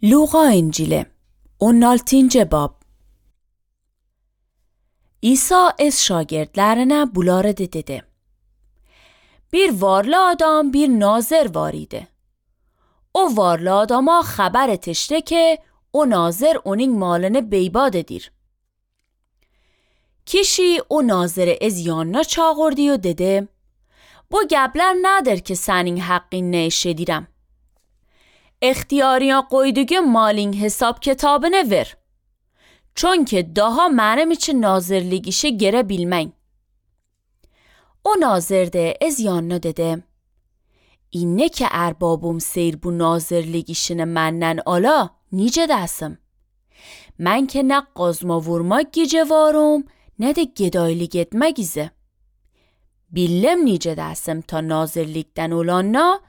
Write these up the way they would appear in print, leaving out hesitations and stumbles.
Luqa İncili 16. bab. İsa ez şagirdlerine bunları dedi. Bir varlı adam bir nazır var idi. O varlı adama haber etişti ki o nazır onun malını beybad edir. Kişi o nazırı ez yanına çağırdı و dedi: bu gebler nedir ki senin haqqin neşedirem? اختیاریان qoyduğun malin hesap kitabını ver. Çünkü daha benim için nazırlık işi girebilmen. O nazır de ez yanına dedi: اینه که اربابم سیر bu nazırlık işini menden ala nice desim. Ben ki ne qazma vurmak gice varım ne de gedaylık etmek izi. Billem nice desim ta nazırlıktan olanna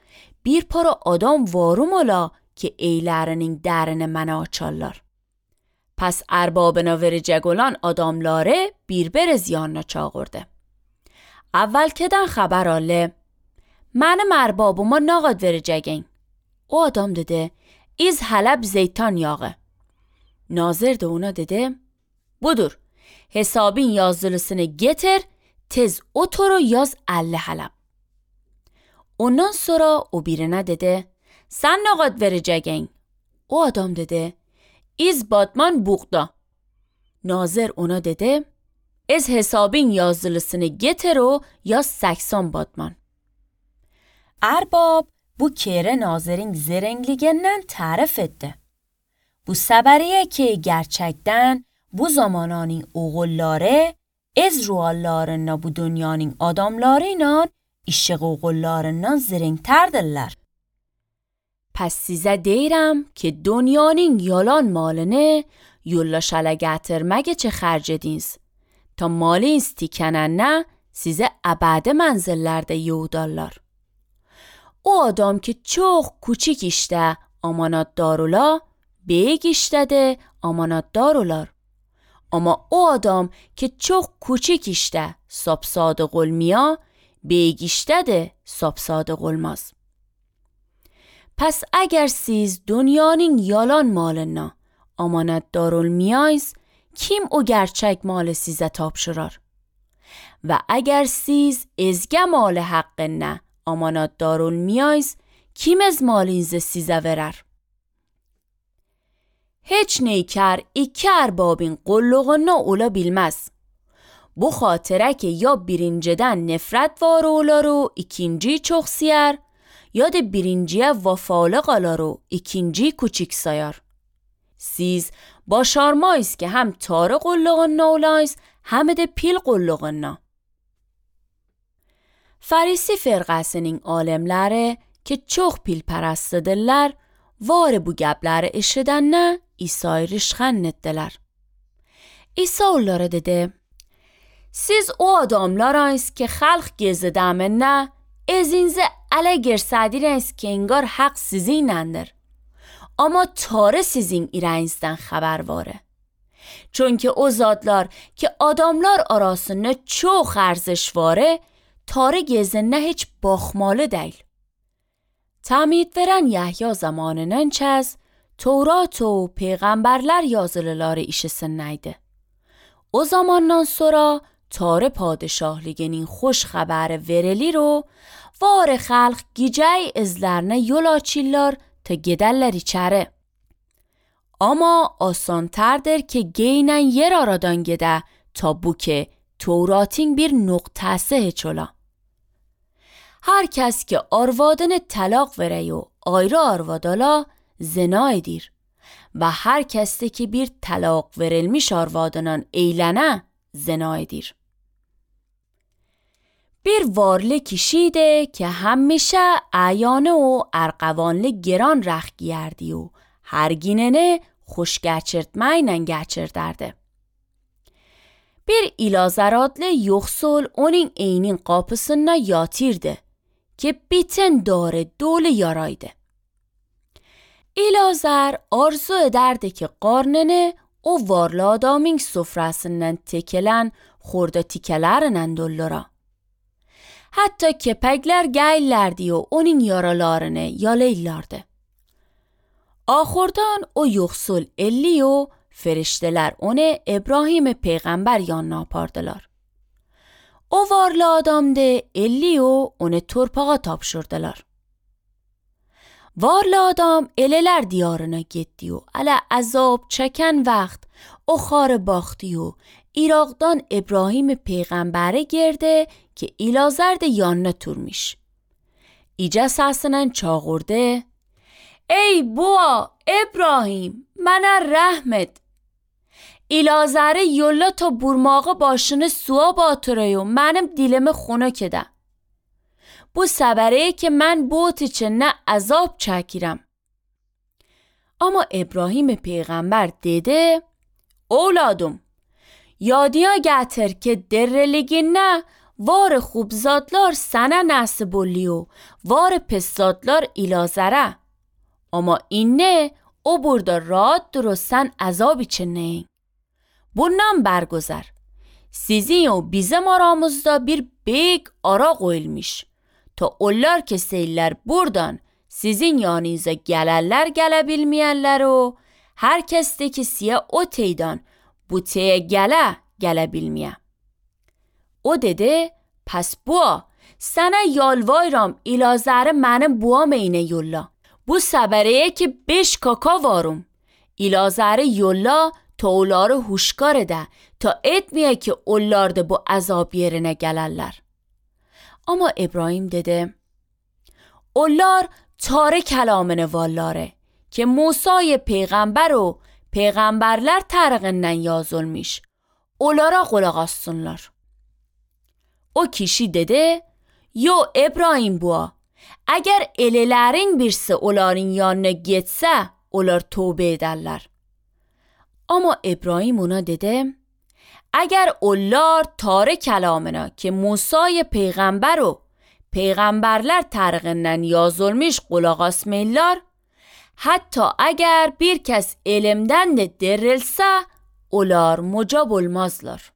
bir para adam varım ola که eylerinin درن من açarlar. پس اربابنا verecek olan adamları bir yanına çağırdı. اول کدن خبر آله منم اربابıma ne kadar vereceğin? O adam dedi: iz Halep zeytan yağı. Nazır da ona dedi: budur, hesabın yazılısını getir, tez otur yaz 50 Halep. Ondan sonra o birine dedi: sen ne kadar vereceğin? O adam dedi: iz batman buğda. Nazır ona dedi: ez hesabın yazılısını getir o yaz 80 batman. Erbab bu kere Nazır'ın zerengliğinden tarif etti. Bu seberiye ki gerçekten bu zamananın oğulları ez ruallarına bu dünyanın adamlarıyla işi oğullarından zerengterdirler. پس size دیرم که دنیانین یالان مالنه یولا شلگتر چه خرج دینز تا مالی استیکنن نه size ابد منزللerde یودالlar. O adam ki çok küçük işte amanatdar ola, büyük işte de amanatdar olar. Ama o adam ki çok küçük işte sapsadık olmaya, büyük işte de sapsadık olmaz. پس اگر siz dünyanın yalan malına amanatdar olmayız, kim o gerçek malı size tapşırır? Ve eğer siz ezge malı haqqına amanatdar olmayız, kim ez malinizi size verer? Hiç neyker iki erbabın qulluğuna ola bilmez. Bu xatıra ki ya birinciden nefret var olar و ikinci çok siyer, ya da birinciye vafalıq alar و ikinci küçük sayar. Siz başarmayız ki hem tarı qulluğuna olayız hem de pil qulluğuna. Farisi firqasının alimləri ki çox pil pərəstdirlər, var bu gəbləri eşidəndə İsa'yı rişxənd etdilər. İsa onlara dedi: siz o adamlarayız ki xalq gezidəmində ezinizə ələ girsədiniz ki engar haqq sizinəndir. Ama tarı sizin irənizdən xəbər varı. Çünkü o zatlar ki adamlar arasında çox ارزش varı, tarı gezində heç baxmalı deyil. Tamid veren Yahya zamanının çəz, Tevrat و peyğəmbərlər yazılıları işisindeydi. O zamandan sonra tarı padişahlığının xoş xəbəri verili رو var xalq gecəy izlərine yol açırlar ta gedərlər içəri. Ama asantardır ki geynən yer aradan gedə ta bu ki Tevratın bir nöqtəsi heç ola. Her kes ki arvadını talaq vere و ayrı arvadala zina edir ve her kesti ki bir talaq verilmiş arvadından eylene zina edir. Bir varlı kişiydi که همیشه اعیانه و ارغوانlı گران رخ گیردی و her gününü خوش geçirtmeyle geçirderdi. Bir İlazar adlı yoxsul onun eynin kapısına yatırdı ki bütün dare dolu yaraydı. İlazar arzu ederdi ki qarnını o varlı adamın sofrasından tekilen xorda tikələrindən dollara. Hatta kepekler geylerdi و onun yaralarını yalayırlardı. Ahordan o yoksul Elliyo ferişteler onu İbrahim peygamber yanına apardılar. O varlı adamdı Elliyo onu torpağa tapşırdılar. Varlı adam eleler diyarına gitti و ala azab çeken vaxt o خار باختی و Irak'dan İbrahim peygambere girdi ki İlazar da yanına turmuş. İca səsindən çağırdı: Ey bua İbrahim, mənə rəhm et. İlazarı yolla ta burmağı başını suya batırıyor و mənim dilimi xunuk edə. Bu səbəri ki mən bot içində əzab çəkirəm. Ama İbrahim peygamber dedi: Oğladım, yadiya gətir ki derreliginə var خوبزادlar sənə nəsib oluyor, var pissadlar İlazara. Ama inne o burada rahatdır و sen azab içindeyim. Bundan bergüzar. Sizin و bizim aramızda bir büyük ara koyulmuş. Ta onlar keseyler buradan sizin yanınıza gelerler gelebilmeyenler o herkesteki siyah o teydan bu teye gelebilmeye. O dedi: Pes bua, sana yalvarım İlazarı mənim buam اینه yolla. Bu səbərəyə ki 5 kaka varım. İlazarı yolla ta onları huşkar ede ta etmeye ki onlar da bu azab yerine gelirler. Ama İbrahim dedi: Onlar tare kelamını vallare ki Musa'yı peygamber o peygamberler tarığından yazılmış. Onlara kulak assınlar. O kişi dedi: Yo İbrahim bua, eğer elelerin birisi onların yanına gitse onlar tövbe ederler. Ama İbrahim ona dedi: اگر onlar tare kelamına ki Musa'yı peygamber o peygamberler tarığından yazılmış kulak asmayırlar, hatta eğer bir kes elimden de dirilse onlar mucab olmazlar.